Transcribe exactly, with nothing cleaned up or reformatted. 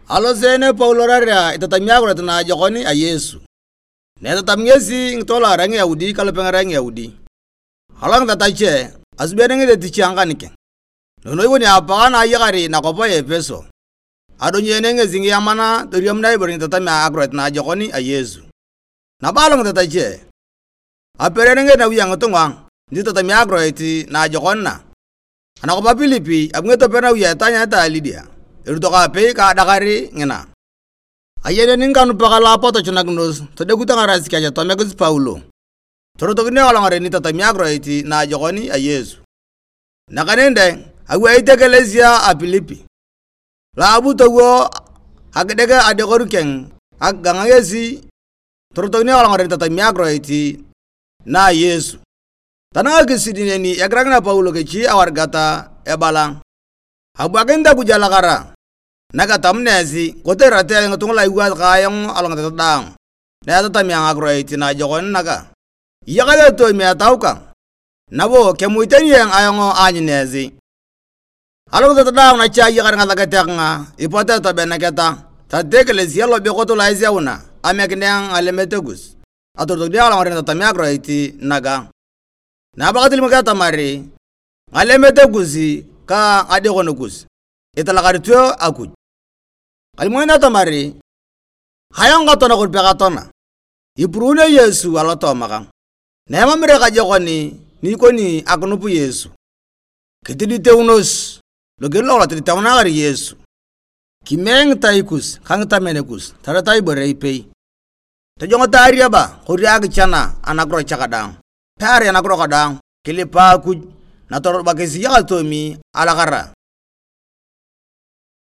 Aloseen Paulo eirarea itatami akiroit naajokon a Yesu. Na etatami ngesi ngitoo lu erai Ngiyaudi ka lu pe nyerai Ngiyaudi, alongit atache, asubi ngesi etich a ngakan keng. Noi ikoni apakang na ayakar nakwap a Epeso, adonyeene ngesi ngiyaman toriamunae ibore ni itatami akiroit naajokon a Yesu. Nabo alongit atache, aperere ngesi nawi a ngitunga ni itatami akiroit naajokon na. Anakwap a Pilipi, abu ngesi topero nawi a etaanyarete a Lidia, erot kaapei ka adakar ngina. Ayeneni ngikanupak lu apotochunakinos todekut ngarasi kech tomiekis Paulo. Torotokin ekolong ngaren itatami akiroit naajokon a Yesu. Nakaneni dang, awaita ekelesia a Pilipi, lo abu towo akidek adekoru keng akigang ngesi, torotokin ekolong ngaren itatami akiroit na a Yesu. Tanang akisidi neni egirakina Paulo kech awarigat ebala, "Abuakinit Akuj alakara, na ketamuna esi, kotere erat esi ngitunga lu iwaasi ka ayong alongitetet daang, na etatami ayong akiroit naajokon naga. Iyakasi atoomi etau kang, nabo kemuit tani ayong aanyun esi." Alongitetet daang nache ayakar ngasakete kanga, ipot etobeneketa, tatete ekelesia lobekot lo eseuna, amekinea ngalemet kus, atorotokini ekolong ngaren itatami akiroit naga. Na abakit alimok atamar ngalemet kus ka ngadekono kus italakarit Akuj. Kalimokin atamar ayong katoana kon pekatoana, ipuruunio Yesu alotooma kang. Na emam ere kajokon ni ikoni akinup Yesu, kitiditeunos loger lokolong tiditeunaar Yesu. Kimee ngitai kus ka ngitamen kus tarata ibore ipei. Tojongoto ariaba kori akichana anakiro cha kadaang, pearai anakiro kadaang, kilipa Akuj, natorubakis iyakasi toomi alakara